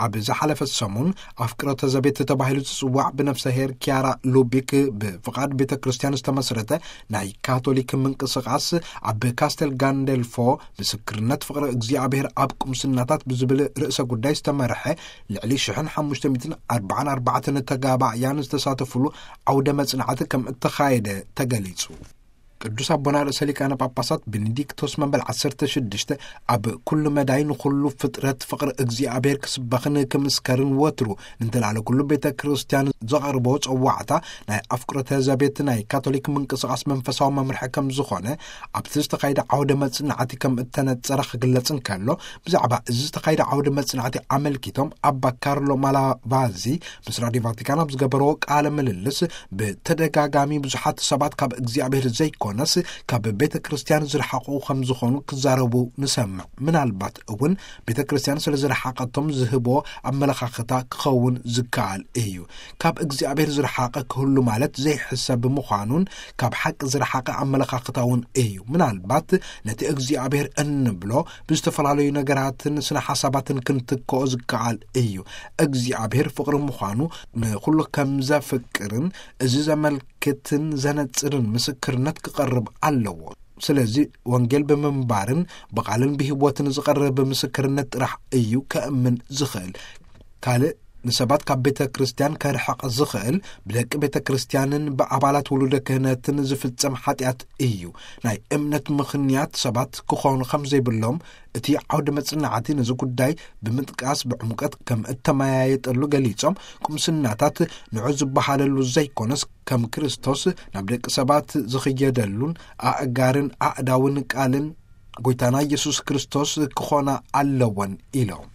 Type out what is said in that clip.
ኣብ ዝሓለፈ ሰሙን ኣፍቅሮተ ዘቤት ተባሂሉ ዝጽዋዕ ብነፍሰ ሄር ኪያራ ሉቢክ ብፍቓድ ቤተ ክርስቲያን ዝተመስረተ ናይ ካቶሊክ ምንቅስቓስ ኣብ ካስተል ጋንደልፎ ምስክርነት ፍቕሪ እግዚኣብሔር ኣብ ቁምስናታት ብዝብል ርእሰ ጉዳይ ዝተመርሐ ልዕሊ ሽሕን ሓሙሽተ ሚእትን ኣርባዓን ኣርባዕተን ተጋባእያን ዝተሳተፉሉ ዓውደ መጽናዕቲ ከም እተኻየደ ተገሊጹ። ቅዱስ ኣቦና ርእሰ ሊቃነ ጳጳሳት ቤኔዲክቶስ መበል ዓሰርተ ሽዱሽተ ኣብ ኩሉ መዳይ ንኹሉ ፍጥረት ፍቕሪ እግዚኣብሔር ክስበኽን ክምስከርን ወትሩ ንተላለ ኩሉ ቤተ ክርስቲያን ዘቐርቦ ጸዋዕታ ናይ ኣፍቅሮተ ዘቤት ናይ ካቶሊክ ምንቅስቓስ መንፈሳዊ መምርሒ ከም ዝኾነ ኣብቲ ዝተኻየደ ዓውደ መጽናዕቲ ከም እተነጸረ ክግለጽ እንከሎ፣ ብዛዕባ እዚ ዝተኻየደ ዓውደ መጽናዕቲ ኣመልኪቶም ኣባ ካርሎ ማላቫዚ ምስ ራዲዮ ቫቲካን ኣብ ዝገበርዎ ቃለ ምልልስ፣ ብተደጋጋሚ ብዙሓት ሰባት ካብ እግዚኣብሔር ዘይኮነስ ካብ ቤተ ክርስቲያን ዝረሓቑ ከም ዝኾኑ ክዛረቡ ንሰምዕ። ምናልባት እውን ቤተ ክርስቲያን ስለ ዝረሓቐቶም ዝህቦ ኣመለኻኽታ ክኸውን ዝከኣል እዩ። ካብ እግዚኣብሔር ዝረሓቐ ክህሉ ማለት ዘይሕሰብ ምዃኑን ካብ ሓቂ ዝረሓቐ ኣመለኻኽታ እውን እዩ። ምናልባት ነቲ እግዚኣብሔር እንብሎ ብዝተፈላለዩ ነገራትን ስነ ሓሳባትን ክንትክኦ ዝከኣል እዩ። እግዚኣብሔር ፍቕሪ ምዃኑ ንኹሉ ከም ዘፍቅርን እዚ ዘመልክትን ዘነጽርን ምስክርነት ክቐርብ ኣለዎ። ስለዚ ወንጌል ብምንባርን ብቓልን ብህይወትን ዝቐርብ ምስክርነት ጥራሕ እዩ ከእምን ዝኽእል። ካልእ ንሰባት ካብ ቤተ ክርስቲያን ከርሕቕ ዝኽእል ብደቂ ቤተ ክርስቲያንን ብኣባላት ውሉደ ክህነትን ዝፍጸም ሓጢኣት እዩ። ናይ እምነት ምኽንያት ሰባት ክኾኑ ከም ዘይብሎም እቲ ዓውደ መጽናዕቲ ነዚ ጉዳይ ብምጥቃስ ብዕምቀት ከም እተመያየጠሉ ገሊጾም፣ ቁምስናታት ንዑ ዝበሃለሉ ዘይኮነስ ከም ክርስቶስ ናብ ደቂ ሰባት ዝኽየደሉን ኣእጋርን ኣእዳውን ቃልን ጎይታና ኢየሱስ ክርስቶስ ክኾና ኣለወን ኢሎም።